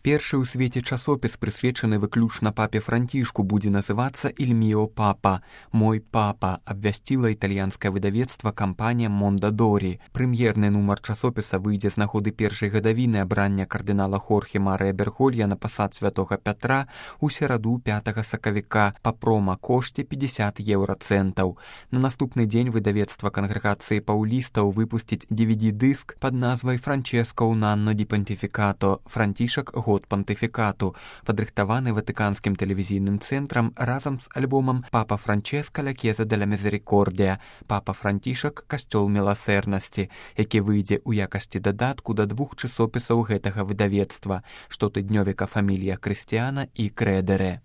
Першы ў свеце часопіс, прысвечаны выключна папе Францішку, будзе называцца «Il mio papa» – «Мой папа», абвясціла італьянскае выдавецтва кампанія Мондадорі. Прэм'ерны нумар часопіса выйдзе з нагоды першай гадавіны абрання кардынала Хорхе Марыя Берголья на пасад святога Пятра ў сераду 5 сакавіка па прома-кошце 50 еўрацэнтаў. На наступны дзень выдавецтва кангрэгацыі паўлістаў выпусціць DVD-дыск пад назвай «Франческо un anno di pontificato» – «Францішак год пантыфікату», падрыхтаваны ватыканскім тэлевізійным цэнтрам разам з альбомам «Папа Франческа ля Chiesa della Misericordia» – «Папа Францішак, касцёл міласэрнасці», які выйдзе ў якасці дадатку да 2 часопісаў гэтага выдавецтва – штотыднёвіка «Фамілія Крыстіяна» і «Крэдэрэ».